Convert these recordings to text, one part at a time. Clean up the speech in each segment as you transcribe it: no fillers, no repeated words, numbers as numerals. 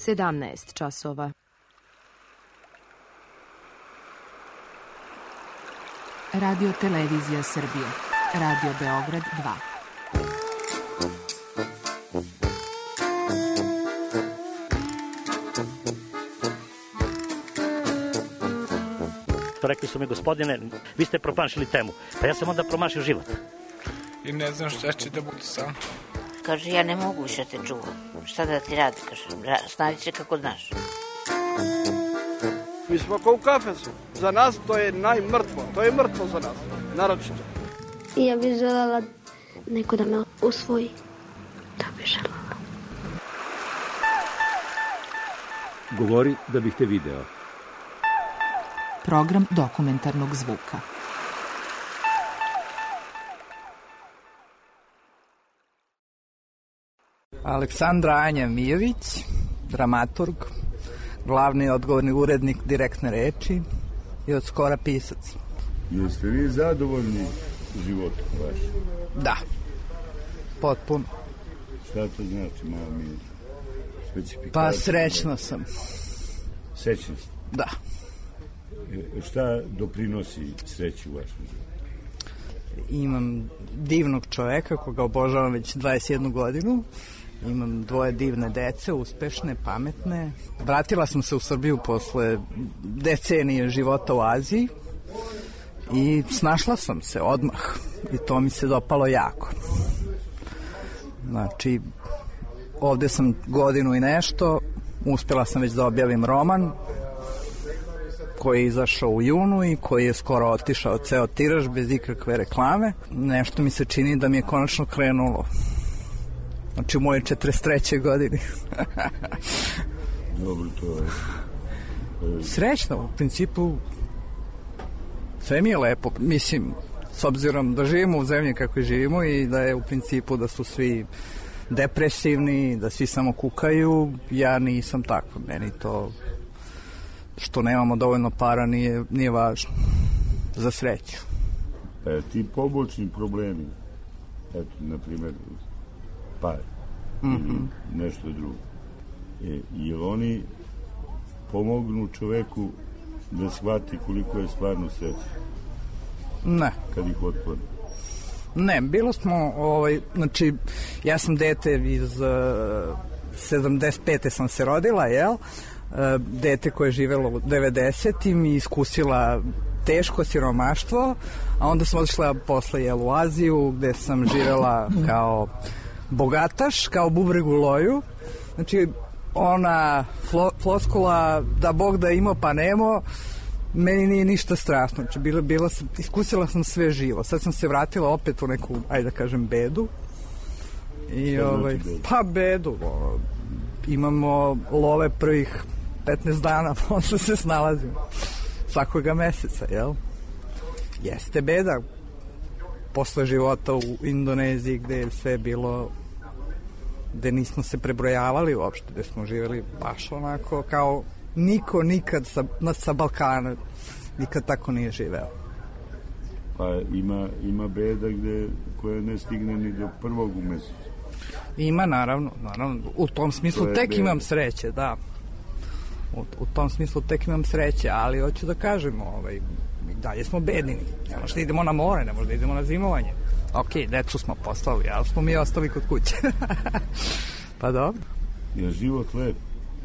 17 časova. Radio Televizija Srbije. Radio Beograd 2. Rekli su mi, gospodine, vi ste promašili temu. Pa ja sam onda promašio život. I ne znam šta će da bude sam. Kaže, ja ne mogu više te čuvam. Šta da ti radi, kaže, snađi se kako znaš. Mi smo kao u kafesu. Za nas to je najmrtvo. To je mrtvo za nas, naročito. I ja bih želela neko da me usvoji. Da bih želela. Govori da bih te video. Program dokumentarnog zvuka. Aleksandra Anja Mijović, dramaturg, glavni odgovorni urednik Direktne reči i od skora pisac. Jeste vi zadovoljni životom vašim? Da, potpuno. Šta to znači, malo mi specifikacija? Pa srećna sam. Srećna sam? Da. Šta doprinosi sreći u vašem životu? Imam divnog čoveka koga obožavam već 21 godinu. Imam 2 divne dece, uspešne, pametne. Vratila sam se u Srbiju posle decenije života u Aziji i snašla sam se odmah i to mi se dopalo jako. Znači, ovde sam godinu i nešto, uspela sam već da objavim roman koji je izašao u junu i koji je skoro otišao ceo tiraž bez ikakve reklame. Nešto mi se čini da mi je konačno krenulo. Znači u moje 43. godini. Dobro, to je... Srećno, u principu sve mi je lepo. Mislim, s obzirom da živimo u zemlji kako živimo i da je u principu da su svi depresivni, da svi samo kukaju, ja nisam tako. Meni to što nemamo dovoljno para nije važno za sreću. Ti pobočni problemi, eto, na primjer, par, nešto drugo, jel oni pomognu čoveku da shvati koliko je stvarno sreća? Ne. Kad ih otkloni? Ne, bilo smo, znači, ja sam dete iz 75. sam se rodila, jel? Dete koje je živelo u 90. i iskusila teško siromaštvo, a onda sam otišla posle u Aziju gde sam živela kao bogataš, kao bubreg u loju. Znači, ona floskula da Bog da imao pa nemo, meni nije ništa strašno. Znači, iskusila sam sve živo. Sad sam se vratila opet u neku, ajde da kažem, bedu. I, pa bedu. Imamo love prvih 15 dana, onda se snalazimo. Svakoga meseca, jel? Jeste beda. Posle života u Indoneziji gde je sve bilo, gde nismo se prebrojavali uopšte, gde smo živjeli baš onako kao niko nikad sa Balkana nikad tako nije živeo. Pa ima beda koja ne stigne ni do prvog u mesecu. Ima, naravno. U tom smislu tek beda. Imam sreće, da. U tom smislu tek imam sreće, ali hoću da kažem, mi dalje smo bedni. Ne možda idemo na more, ne možda idemo na zimovanje. Ok, decu smo poslali, ali smo mi ostali kod kuće. Pa dobro. Je život lep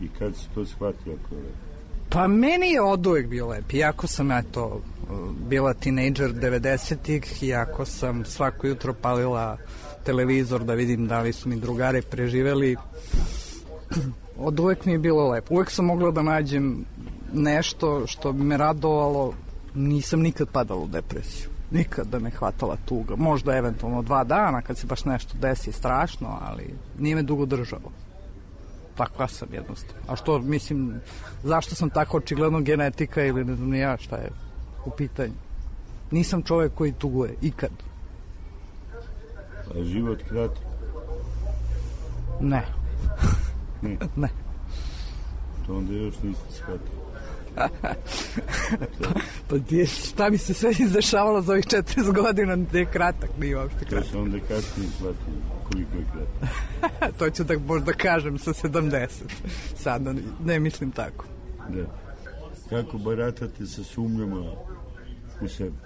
i kad si to shvatio ako je lep? Pa meni je od uvek bio lep. Iako sam bila tinejdžer 90-ih, iako sam svako jutro palila televizor da vidim da li su mi drugari preživeli, od uvek mi je bilo lepo. Uvek sam mogla da nađem nešto što bi me radovalo. Nisam nikad padala u depresiju. Nikad da me hvatala tuga. Možda eventualno 2 dana kad se baš nešto desi strašno, ali nije me dugo držalo. Takva sam jednostavno. A što, mislim, zašto sam tako očigledno genetika ili ne znam ni ja šta je u pitanju. Nisam čovjek koji tuguje, ikad. A život kratak? Ne. Ne. To onda još niste shvatili. Pa šta mi se sve izdešavalo za ovih 40 godina, gde je kratak, nije uopšte kratak. To se onda kasnije shvatio koliko je kratak. To ću da možda kažem sa 70. Sada ne mislim tako. Da. Kako baratate sa sumnjama u sebi?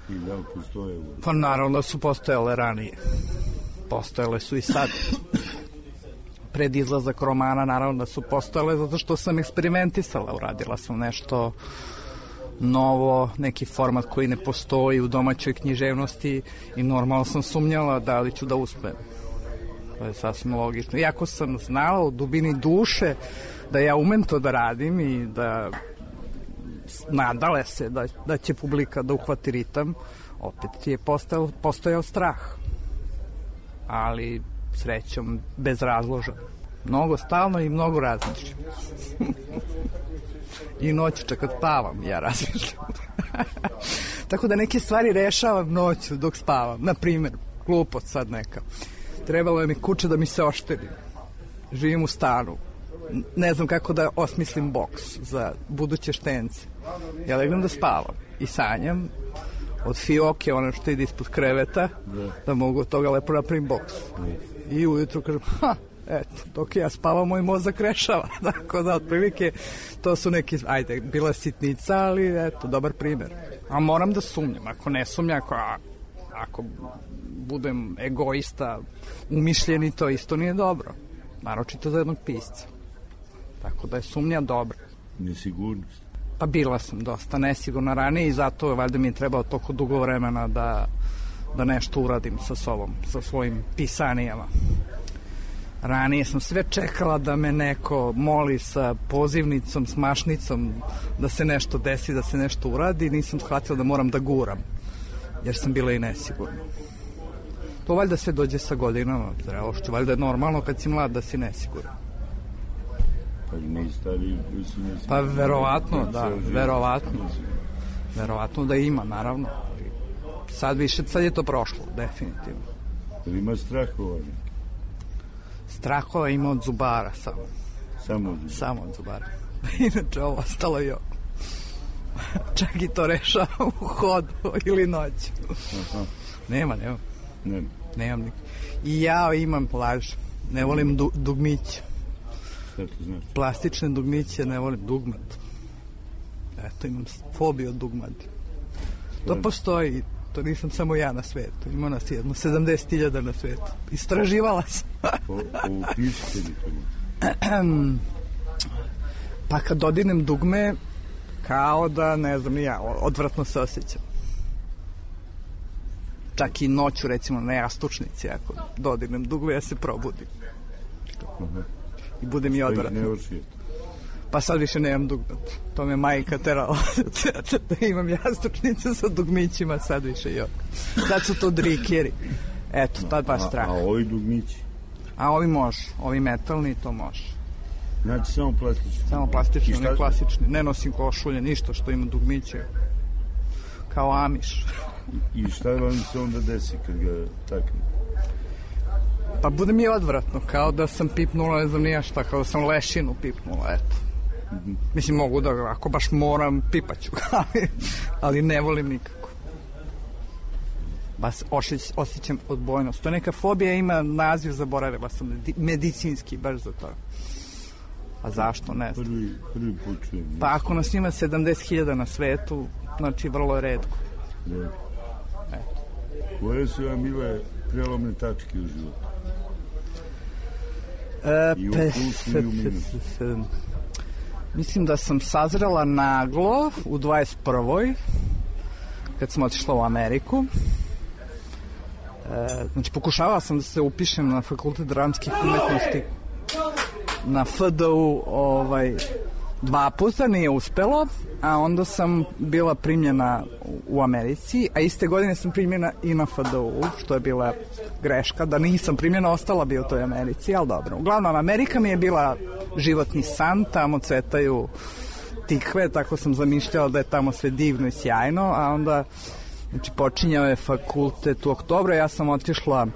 I da li postoje? Pa naravno da su postojale ranije. Postojale su i sad. Pred izlazak romana naravno da su postojale zato što sam eksperimentisala, uradila sam nešto novo, neki format koji ne postoji u domaćoj književnosti i normalno sam sumnjala da li ću da uspem. To je sasvim logično. Iako sam znala u dubini duše da ja umem to da radim i da nadale se da će publika da uhvati ritam, opet je postojao strah. Ali srećom bezrazložan. Mnogo stalno i mnogo razmišljam. I noću kad spavam ja razmišljam. Tako da neke stvari rešavam noću dok spavam. Naprimjer, glupost sad neka. Trebalo je mi kuća da mi se ošteri. Živim u stanu. Ne znam kako da osmislim boks za buduće štence. Ja legnem da spavam i sanjam od fioke, ono što ide ispod kreveta, da mogu od toga lepo napravim boks. I ujutru kažem, eto, dok ja spavam, moj mozak rešava. Tako da, otprilike, to su neki, ajde, bila sitnica, ali eto, dobar primjer. A moram da sumnjam, ako ne sumnjam, ako budem egoista, umišljeni, to isto nije dobro. Naročito za jednog pisca. Tako da je sumnja dobra. Nesigurnost. Pa bila sam dosta nesigurna ranije i zato valjda mi je trebalo toliko dugo vremena da nešto uradim sa sobom, sa svojim pisanijama. Ranije sam sve čekala da me neko moli sa pozivnicom, s mašnicom, da se nešto desi, da se nešto uradi. Nisam shvatila da moram da guram, jer sam bila i nesigurna. To valjda sve dođe sa godinama, zrelošću. Valjda je normalno kad si mlad da si nesiguran. Pa ne stari, pa verovatno, da, verovatno da ima, naravno. Sad je to prošlo, definitivno. Ali ima strahova? Strahova ima od zubara samo. Samo od zubara. Inače ovo ostalo je čak i to rešavam u hodu ili noću. Nemam nikak. I ja imam laž, ne volim dugmiće. Šta to znači? Plastične dugmiće, ne volim dugmad. Eto, imam fobiju od dugmadi. To postoji, to nisam samo ja na svetu. Ima nas jedno 70.000 na svetu. Istraživala sam. Opišite li to? Pa kad dodinem dugme, kao da, ne znam, ja odvratno se osjećam. Čak i noću, recimo, na jastučnici, ako dodinem dugme, ja se probudim. I bude mi odvratno. Pa sad više nemam dugmat. To me majka terala da imam jastučnicu sa dugmićima, sad više jok. Sad su to drikeri. Eto, tad baš strah. A ovi dugmići? A ovi može, ovi metalni, to može. Znači samo plastični? Samo plastični, ne klasični. Ne nosim košulje, ništa što ima dugmiće. Kao Amiš. I šta vam se onda desi kad ga takne? Pa bude mi odvratno, kao da sam pipnula, ne znam nija šta, kao da sam lešinu pipnula, eto. Mislim, mogu da, ako baš moram, pipaću, ali ne volim nikako. Baš osjećam odbojnost. To neka fobija ima naziv, zaboravila sam, medicinski, baš za to. A zašto, ne znam. Prvi put čujem. Pa ako nas ima 70.000 na svetu, znači vrlo je redko. Da. Koje su vam bile prelomne tačke u životu? I u plusu i u minusu. Mislim da sam sazrela naglo u 21. kad sam otišla u Ameriku. Znači, pokušavala sam da se upišem na Fakultet dramskih umetnosti na FDU 2 puta, nije uspelo, a onda sam bila primljena u Americi, a iste godine sam primljena i na FDU, što je bila greška, da nisam primljena, ostala bi u toj Americi, ali dobro. Uglavnom, Amerika mi je bila životni san, tamo cvetaju tikve, tako sam zamišljala da je tamo sve divno i sjajno, a onda, znači, počinjao je fakultet u oktobru, ja sam otišla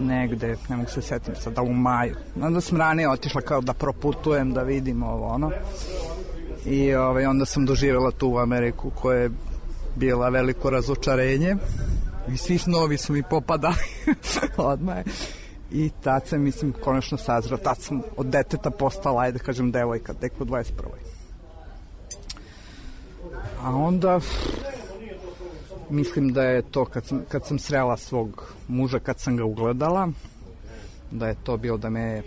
negde, ne mogu se setiti sada, u maju. Onda sam ranije otišla kao da proputujem, da vidim ovo, ono. I onda sam doživjela tu Ameriku koja je bila veliko razočarenje i svi snovi su mi popadali odmah. I tad sam, mislim, konačno sazreo. Tad sam od deteta postala, ajde kažem, devojka, tek u 21. A onda mislim da je to kad sam srela svog muža, kad sam ga ugledala, da je to bilo da me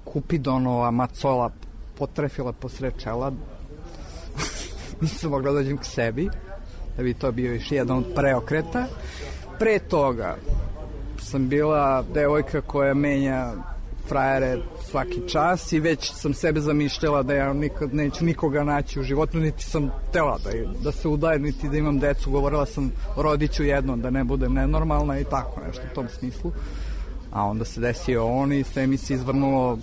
Kupidonova macola potrefila posred čela. Nisam mogla da dođem k sebi, da bi to bio još jedan od preokreta. Pre toga sam bila devojka koja menja frajere svaki čas i već sam sebe zamišljala da ja nikad neću nikoga naći u životu, niti sam tela da se udajem, niti da imam decu. Govorila sam, rodit ću jedno, da ne budem nenormalna i tako nešto u tom smislu. A onda se desio on i sve mi se izvrnulo,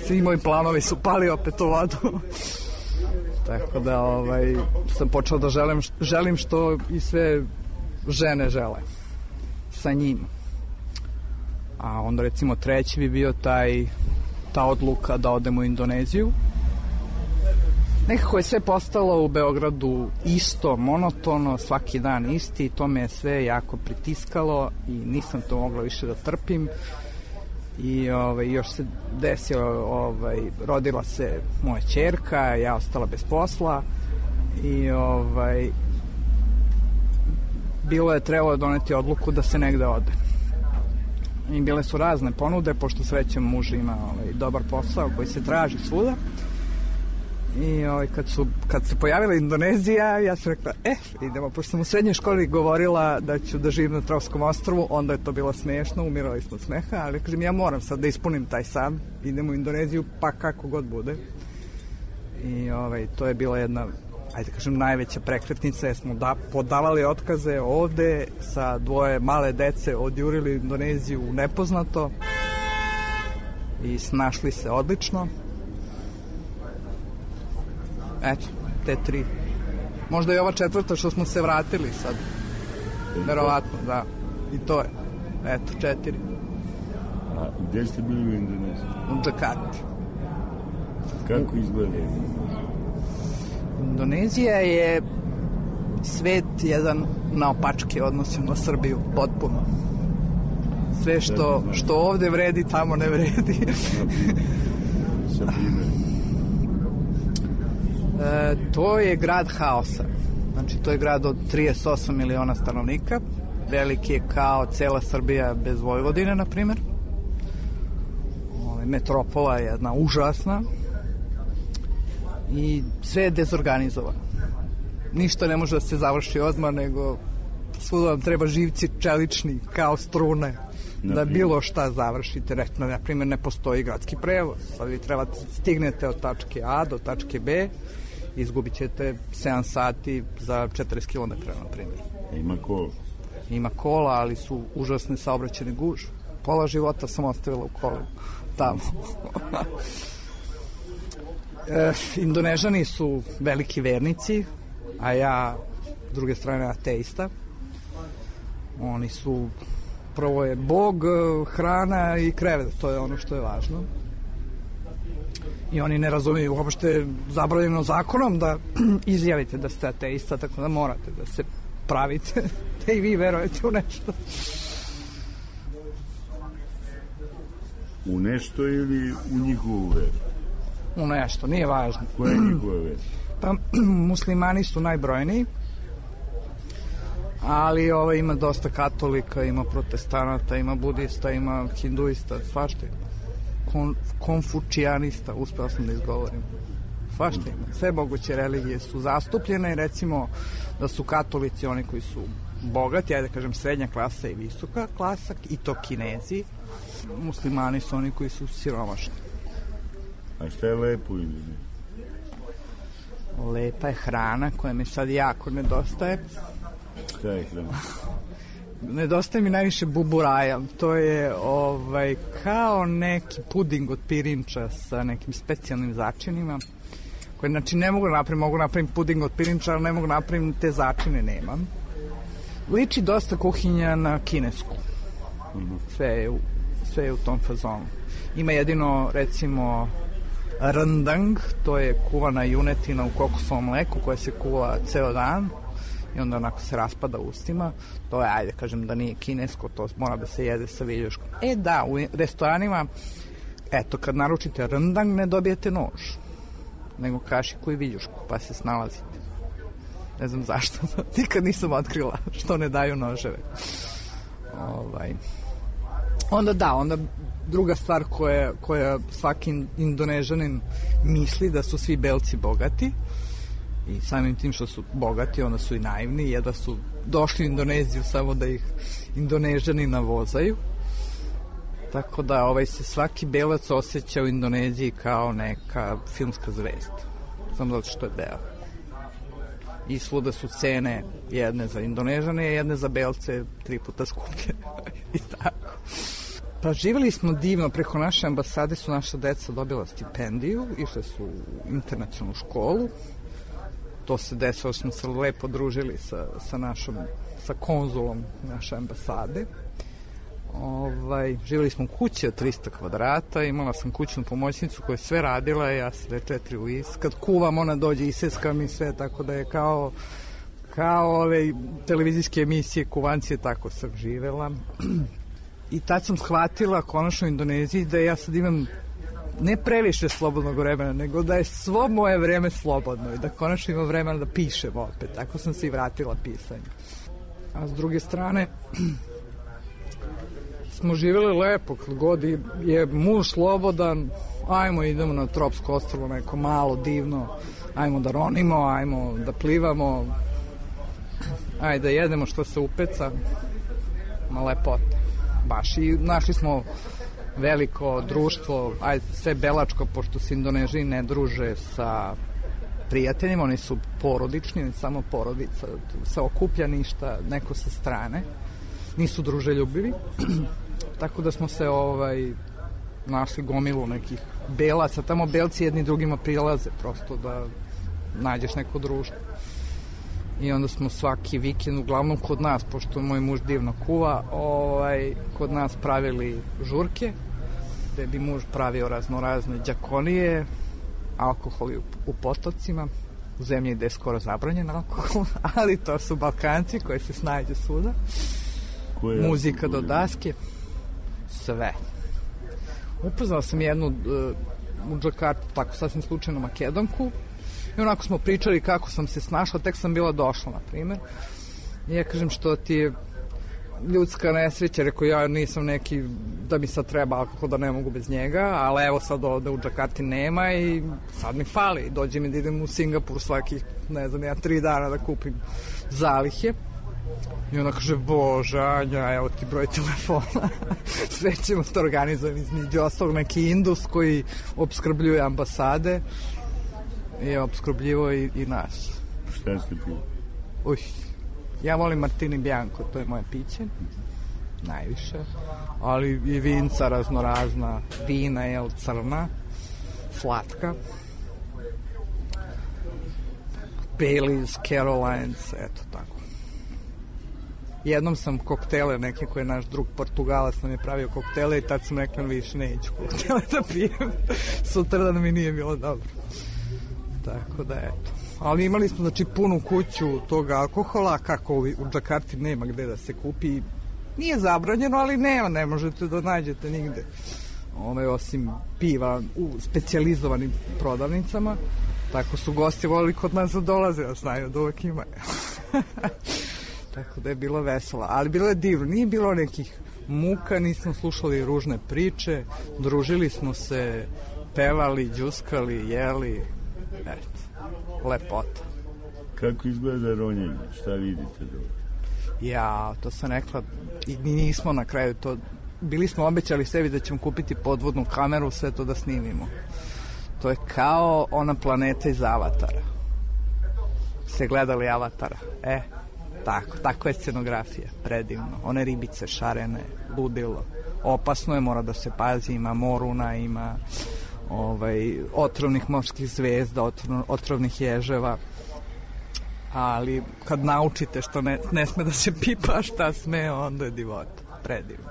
svi moji planovi su pali opet u vodu. Tako da sam počela da želim što i sve žene žele sa njim. A onda recimo treći bi bio ta odluka da odem u Indoneziju. Nekako je sve postalo u Beogradu isto, monotono, svaki dan isti i to me je sve jako pritiskalo i nisam to mogla više da trpim. I još se desilo, rodila se moja ćerka, ja ostala bez posla i trebalo je doneti odluku da se negde ode. I bile su razne ponude, pošto srećem muž ima dobar posao koji se traži svuda. I kad se pojavila Indonezija, ja sam rekla, idemo, pošto sam u srednjoj školi govorila da ću da živim na Trovskom ostrvu, onda je to bilo smiješno, umirali smo od smeha, ali kažem, ja moram sad da ispunim taj san, idemo u Indoneziju, pa kako god bude. I to je bila jedna, ajde kažem, najveća prekretnica, jer smo podavali otkaze ovde, sa 2 male dece odjurili Indoneziju u nepoznato i snašli se odlično. Eto, te 3. Možda i ova 4. što smo se vratili sad. Verovatno, da. I to je. Eto, 4. A gde ste bili u Indoneziji? U Džakarti. Kako izgleda Indonezija? Indonezija je svet jedan naopačke odnosi na Srbiju, potpuno. Sve što ovde vredi, tamo ne vredi. Sa primjer. To je grad haosa. Znači, to je grad od 38 miliona stanovnika. Veliki je kao cela Srbija bez Vojvodine, na primjer. Metropola je jedna užasna. I sve je dezorganizovano. Ništa ne može da se završi odmah, nego svuda vam treba živci čelični, kao strune, da bilo šta završite. Na primjer, ne postoji gradski prevoz. Sad vi trebate stignete od tačke A do tačke B, izgubit ćete 7 sati za 40 km, na primjer. Ima kola? Ima kola, ali su užasne saobraćajne gužve. Pola života sam ostavila u kolima tamo. Indonežani su veliki vernici, a ja, s druge strane, ateista. Oni su, prvo je Bog, hrana i krevet, to je ono što je važno. I oni ne razumiju uopšte zabranjeno zakonom da izjavite da ste ateista, tako da morate da se pravite da i vi verujete u nešto. U nešto ili u njihovu veru? U nešto, nije važno. Koja je njihova vera? Pa, muslimani su najbrojniji, ali ima dosta katolika, ima protestanata, ima budista, ima hinduista, svašta ima. Konfučijanista, uspeo sam da izgovorim. Svašta ima. Sve moguće religije su zastupljene, recimo da su katolici oni koji su bogati, ajde kažem srednja klasa i visoka klasa, i to Kinezi. Muslimani su oni koji su siromašni. A šta je lepo u Indoneziji? Lepa je hrana koja mi sad jako nedostaje. Šta je hrana? Nedostaje mi najviše buburaja. To je kao neki puding od pirinča sa nekim specijalnim začinima. Koje, znači, ne mogu napraviti, mogu napraviti puding od pirinča, ali ne mogu napraviti, te začine nemam. Liči dosta kuhinja na kinesku. Sve je u tom fazonu. Ima jedino, recimo, rendang, to je kuvana junetina u kokosovom mleku koja se kuva ceo dan i onda onako se raspada ustima. To je, ajde kažem da nije kinesko, to mora da se jede sa viljuškom. Da, u restoranima, eto, kad naručite rendang ne dobijete nož, nego kašiku i viljušku, pa se snalazite. Ne znam zašto, nikad nisam otkrila što ne daju noževe. Onda druga stvar koja svaki Indonežanin misli da su svi belci bogati i samim tim što su bogati onda su i naivni, jedva su došli u Indoneziju samo da ih Indonežani navozaju, tako da se svaki belac osjeća u Indoneziji kao neka filmska zvezda, samo zato što je beo. I svuda su cene jedne za Indonežane, jedne za belce 3 puta skuplje i tako. Pa živjeli smo divno, preko naše ambasade su naša deca dobila stipendiju, išle su u internacionalnu školu. To se desilo, smo se lepo družili sa konzulom naše ambasade. Živjeli smo u kući od 300 kvadrata, imala sam kućnu pomoćnicu koja je sve radila i ja se 4 u is. Kad kuvam, ona dođe i seska mi sve, tako da je kao ove televizijske emisije kuvancije, tako sam živela. I tad sam shvatila konačno u Indoneziji da ja sad imam ne previše slobodnog vremena, nego da je svo moje vreme slobodno i da konačno imam vremena da pišem opet. Tako sam se i vratila pisanju. A s druge strane, smo živjeli lepo, kad god je muž slobodan, ajmo idemo na tropsko ostrvo, neko malo divno, ajmo da ronimo, ajmo da plivamo, ajde da jedemo što se upeca, ma lepota. Baš i našli smo veliko društvo, sve belačko, pošto se Indonežani ne druže sa prijateljima, oni su porodični, samo porodica, se okuplja ništa, neko sa strane, nisu druželjubivi, tako da smo se našli gomilu nekih belaca, tamo belci jedni drugima prilaze, prosto da nađeš neko društvo. I onda smo svaki vikend, uglavnom kod nas, pošto moj muž divno kuva, kod nas pravili žurke, gde bi muž pravio raznorazne đakonije, alkohol u potocima, u zemlji gde je skoro zabranjen alkohol, ali to su Balkanci koji se snađu svuda. Muzika do daske, sve. Upoznao sam jednu u Džakarti, tako sasvim slučajno Makedonku, i onako smo pričali kako sam se snašla, tek sam bila došla, na primjer. I ja kažem, što ti je ljudska nesreća, rekao ja nisam neki da mi sad treba alkohol, da ne mogu bez njega, ali evo sad ovde u Džakarti nema i sad mi fali. Dođe mi da idem u Singapur svakih, 3 dana da kupim zalihe. I ona kaže, Bože, Anja, evo ti broj telefona. Sve ćemo to organizovati, između ostalog neki Indus koji opskrbljuje ambasade i opskrbljivo i nas. Šta ste pili? Ja volim Martini Bianco, to je moje piće, najviše, ali i vinca raznorazna, vina, crna, slatka, Baileys, Carolines, eto tako. Jednom sam koktele neke koje naš drug Portugalac nam je pravio koktele i tad sam rekla više neću koktele da pijem, sutradan mi nije bilo dobro. Tako da eto. Ali imali smo punu kuću tog alkohola, kako u Džakarti nema gde da se kupi. Nije zabranjeno, ali ne možete da nađete nigde. Osim piva u specijalizovanim prodavnicama. Tako su gosti volili kod nas da dolaze, a znaju da uvek imaju. Tako da je bilo veselo. Ali bilo je divno, nije bilo nekih muka, nismo slušali ružne priče, družili smo se, pevali, đuskali, jeli, eto. Lepota. Kako izgleda ronjenje? Šta vidite dobro? Ja, to sam rekla i nismo na kraju to. Bili smo obećali sebi da ćemo kupiti podvodnu kameru, sve to da snimimo. To je kao ona planeta iz Avatara. Ste gledali Avatara? Tako je scenografija, predivno. One ribice šarene, ludilo. Opasno je, mora da se pazi, ima moruna, ima otrovnih morskih zvezda, otrovnih ježeva, ali kad naučite što ne sme da se pipa, šta sme, onda je divota, predivno.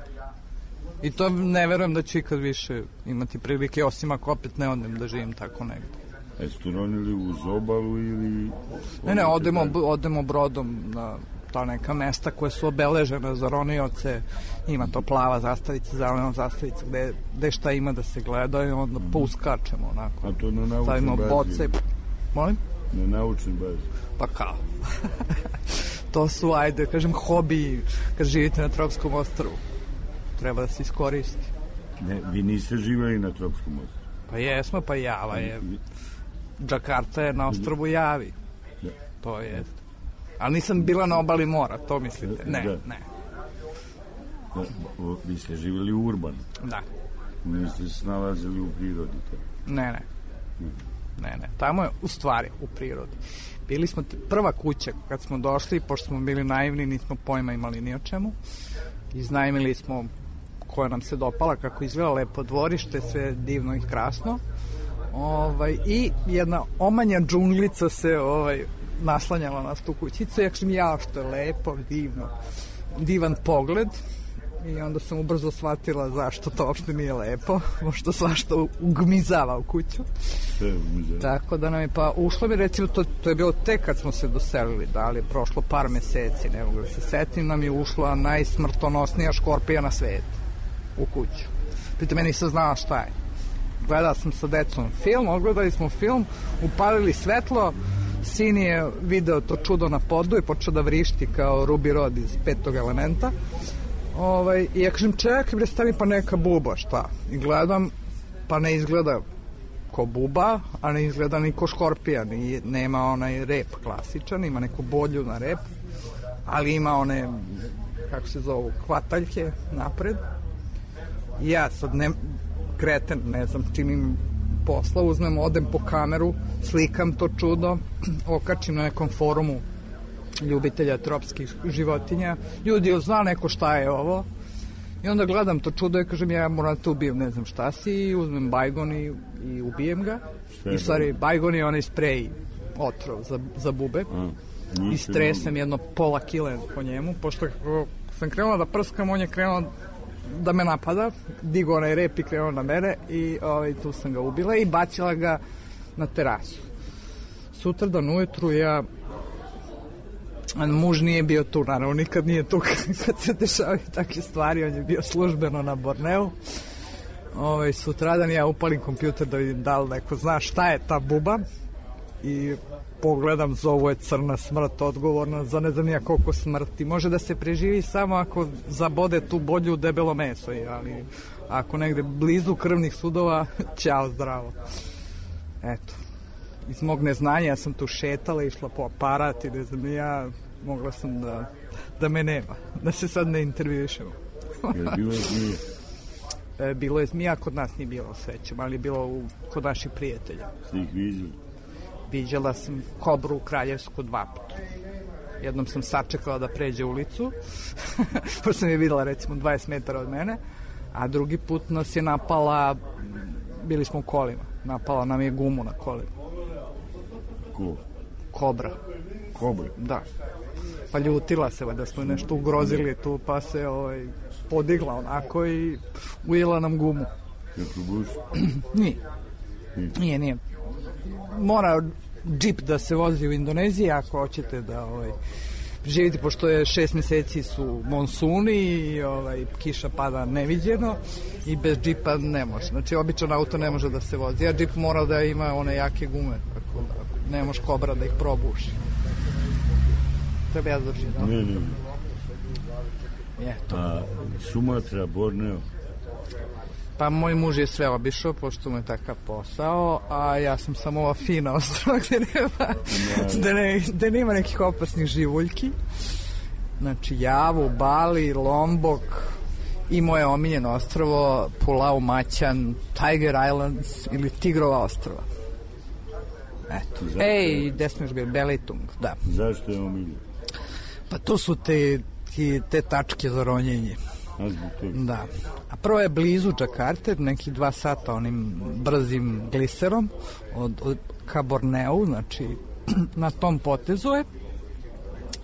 I to ne verujem da ću ikad više imati prilike, osim ako opet ne odem da živim tako negde. Jeste ronili uz obalu ili... Ne, odemo brodom na ta neka mesta koje su obeležene za ronioce. Ima to plava zastavica, zelena zastavica, gde šta ima da se gleda i onda pouskačemo onako. A to na naučnoj bazi? Boce. Molim? Na naučnoj bazi? Pa kao. To su, ajde, kažem, hobi kad živite na tropskom ostrvu. Treba da se iskoristi. Ne, vi niste živeli na tropskom ostrvu? Pa jesmo, pa Java je... Džakarta je na ostrvu Javi. Da. To je. Ali nisam bila na obali mora, to mislite? Ne, da. Ne. Da, vi ste živjeli u urbanu? Da. Niste se nalazili u prirodi? Ne. Tamo je u stvari u prirodi. Bili smo prva kuća kad smo došli, pošto smo bili naivni, nismo pojma imali ni o čemu. Iznajmili smo koja nam se dopala, kako izgleda lepo dvorište, sve divno i krasno. I jedna omanja džunglica se naslanjala na tu kućicu. Ja kažem, što je lepo, divno, divan pogled. I onda sam ubrzo shvatila zašto to uopšte nije lepo, možda svašta ugmizava u kuću. Tako da nam je, pa ušlo mi, recimo, to je bilo tek kad smo se doselili, da li je prošlo par meseci, ne mogu da se setim, nam je ušla najsmrtonosnija škorpija na svetu u kuću. Pritom ja nisam znala šta je. Gledala sam sa decom film, ogledali smo film, upalili svetlo, sin je video to čudo na podu i počeo da vrišti kao Ruby Rod iz Petog elementa. I ja kažem, čekaj, stani, pa neka buba, šta? I gledam, pa ne izgleda ko buba, a ne izgleda ni ko škorpija, nema onaj rep klasičan, ima neku bolju na rep, ali ima one, kako se zovu, hvataljke napred. I ja sad kreten, ne znam čim im posla, odem po kameru, slikam to čudo, okačim na nekom forumu ljubitelja tropskih životinja. Ljudi, zna neko šta je ovo? I onda gledam to čudo i kažem, ja moram te ubijem, ne znam šta si, i uzmem bajgon i ubijem ga. I stvari, bajgon je onaj sprej otrov za bube. I stresem jedno pola kile po njemu, pošto sam krenula da prskam, on je krenuo da me napada, digo onaj rep i krenuo na mene i tu sam ga ubila i bacila ga na terasu. Sutradan ujutru muž nije bio tu, naravno nikad nije tu kad se dešavaju takve stvari, on je bio službeno na Borneu. Sutradan ja upalim kompjuter da vidim da li neko zna šta je ta buba i pogledam, zovu je crna smrt, odgovorna za ne znam nija koliko smrti. Može da se preživi samo ako zabode tu bolju u debelo meso, ali ako negde blizu krvnih sudova, ćao, zdravo. Eto, iz mog neznanja ja sam tu šetala, išla po aparat i ne znam, ja mogla sam da me nema, da se sad ne intervjušemo. Bilo je zmija? Bilo je zmija, kod nas nije bilo, srećem, ali je bilo kod naših prijatelja. Ste ih viđali? Viđala sam kobru kraljevsku 2 puta. Jednom sam sačekala da pređe ulicu, pošto sam je videla recimo 20 metara od mene, a drugi put nas je napala, bili smo u kolima, napala nam je gumu na kolima. Ko? Kobra. Kobra? Da. Pa ljutila se, da smo nešto ugrozili tu, pa se podigla onako i ujela nam gumu. Je probuš? Nije. Mora džip da se vozi u Indoneziji ako hoćete da živite, pošto je 6 meseci su monsuni i kiša pada neviđeno i bez džipa ne može. Znači, običan auto ne može da se vozi, a džip mora da ima one jake gume, tako da ne može kobra da ih probuši. Treba ja držim, da? Ne. Eto. A Sumatra, Borneo? Pa moj muž je sve obišao, pošto mu je takav posao, a ja sam samo ova fina ostrava gde nema nekih opasnih živuljki. Znači Javu, Bali, Lombok i moje omiljeno ostrvo Pulau Maćan, Tiger Islands ili Tigrova ostrva. Eto. Gde smo još bili? Belitung, da. Zašto je omiljeno? Pa to su te tačke za ronjenje. Da. A prvo je blizu Džakarte, nekih 2 sata onim brzim gliserom ka Borneu, znači na tom potezu je.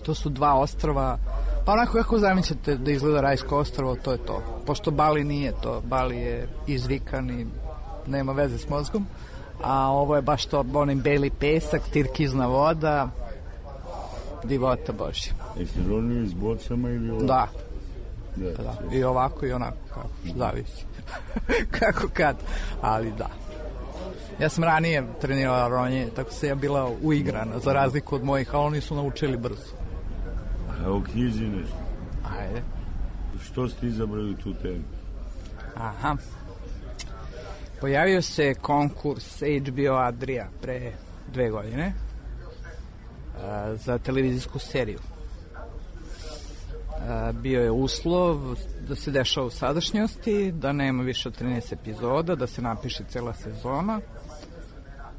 To su 2 ostrva Pa onako kako zamislite da izgleda rajsko ostrvo, to je to. Pošto Bali nije to, Bali je izvikan i nema veze s mozgom, a ovo je baš to, onim beli pesak, tirkizna voda, divota Božja. Jeste ronili s bocama ili ovako? Da. I ovako i onako, kako zavisi. Kako kad, ali da. Ja sam ranije trenirala ronjenje, tako se ja bila uigrana, za razliku od mojih, a oni su naučili brzo. A u knjizi nešto? Ajde. Što ste izabrali tu temu? Aha. Pojavio se konkurs HBO Adria pre 2 godine za televizijsku seriju. Bio je uslov da se dešava u sadašnjosti, da nema više od 13 epizoda, da se napiše cela sezona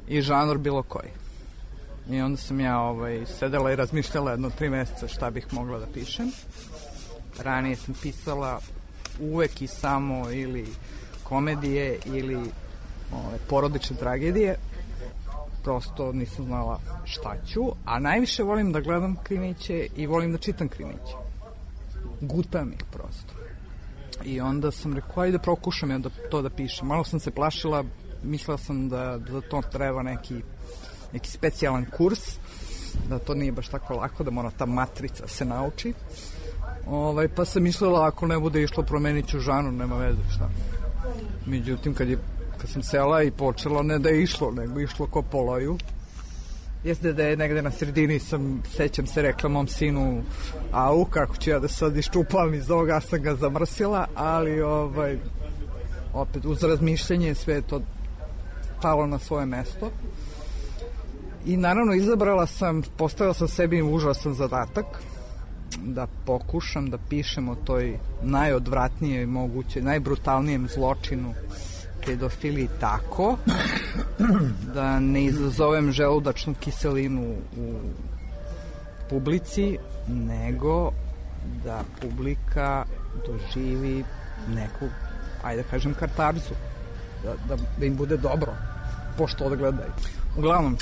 i žanr bilo koji. I onda sam ja sedela i razmišljala jedno 3 meseca šta bih mogla da pišem. Ranije sam pisala uvek i samo ili komedije ili porodične tragedije. Prosto nisam znala šta ću, a najviše volim da gledam krimiće i volim da čitam krimiće. Gutam ih prosto. I onda sam rekao, ajde prokušam ja to da pišem. Malo sam se plašila, mislila sam da za to treba neki specijalan kurs, da to nije baš tako lako, da mora ta matrica se nauči. Pa sam mislila, ako ne bude išlo, promenit ću žanr, nema veze, šta. Međutim, kad sam sela i počela, ne da je išlo, nego išlo ko po loju. Jeste da je negde na sredini, sećam se, rekla mom sinu, au, kako ću ja da sad iščupam iz ovoga, sam ga zamrsila, ali opet uz razmišljanje sve je to stalo na svoje mesto. I naravno postavila sam sebi užasan zadatak da pokušam da pišem o toj najodvratnijoj moguće, najbrutalnijem zločinu, pedofiliji, tako da ne izazovem želudačnu kiselinu u publici, nego da publika doživi neku, ajde da kažem, katarzu, da im bude dobro pošto odgledaju. Uglavnom,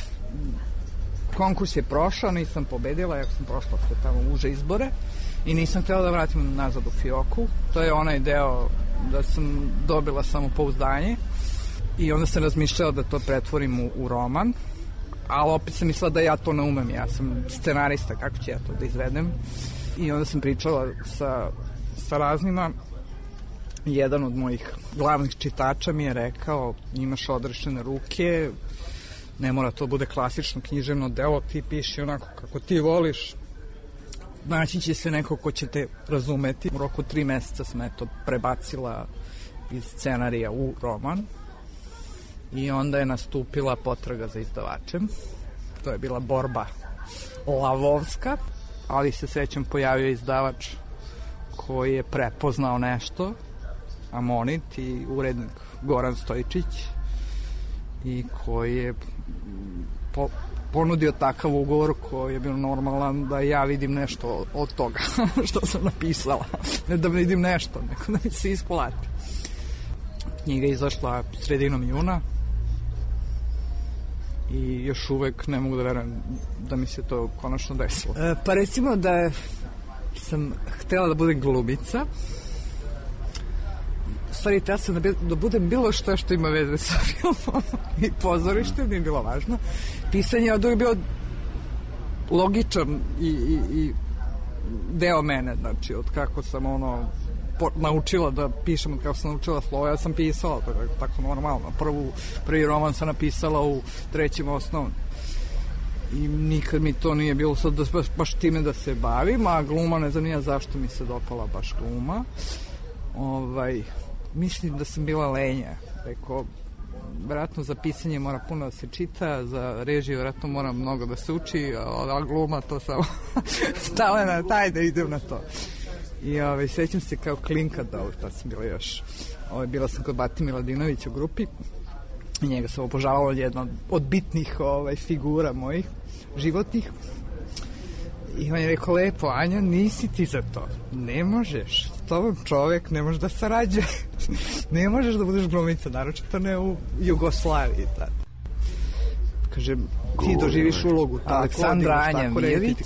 konkurs je prošao, nisam pobedila, jako sam prošla sve tamo uže izbore i nisam htjela da vratim nazad u fioku. To je onaj deo da sam dobila samopouzdanje i onda sam razmišljala da to pretvorim u roman, ali opet sam mislila da ja to ne umem, ja sam scenarista, kako ću ja to da izvedem. I onda sam pričala sa raznima. Jedan od mojih glavnih čitača mi je rekao, imaš odrešene ruke, ne mora to bude klasično književno delo, ti piši onako kako ti voliš, naći će se neko ko će te razumeti. U roku 3 meseca sam prebacila iz scenarija u roman i onda je nastupila potraga za izdavačem. To je bila borba lavovska, ali se srećom pojavio izdavač koji je prepoznao nešto, Amonit i urednik Goran Stojičić, i koji je ponudio takav ugovor koji je bio normalan da ja vidim nešto od toga što sam napisala. Ne da vidim nešto, nego da mi se isplati. Knjiga je izašla sredinom juna i još uvek ne mogu da verujem da mi se to konačno desilo. Pa recimo da sam htela da budem glumica. Stvari, htela sam da budem bilo što ima veze sa filmom i pozorištem, nije bilo važno. Pisanje je od uvijek bio logičan i deo mene, znači od kako sam naučila da pišem, od kako sam naučila slovo, ja sam pisala, tako normalno. Prvi roman sam napisala u 3. osnovnom. I nikad mi to nije bilo sad baš time da se bavim, a gluma, ne znam nija zašto mi se dopala baš gluma. Mislim da sam bila lenja. Rekao, vjerojatno za pisanje mora puno da se čita, za režiju vjerojatno mora mnogo da se uči, a gluma to samo stale na taj da idem na to. I sećam se kao klinka da tad sam bila još. Bila sam kod Bati Miladinovića u grupi i njega sam obožavala, jedna od bitnih figura mojih životnih. I on je rekao, lepo, Anja, nisi ti za to. Ne možeš. S tobom čovek ne može da sarađuje. Ne možeš da budeš glumica, naročito ne u Jugoslaviji. kaže, ti doživiš ulogu. Aleksandra Anja-Mijević,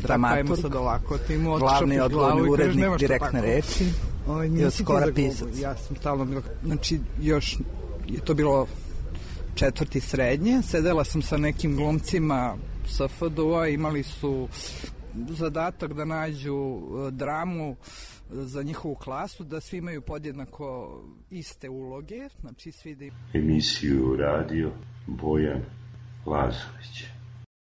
dramaturg, sad ovako, glavni odgovorni urednik Direktne reči i od skora pisac. Ja sam stalno bila, znači još je to bilo 4. srednje, sedela sam sa nekim glumcima sa FDU-a, imali su zadatak da nađu dramu za njihovu klasu, da svi imaju podjednako iste uloge, znači svi da... Emisiju radio Bojan Lazović.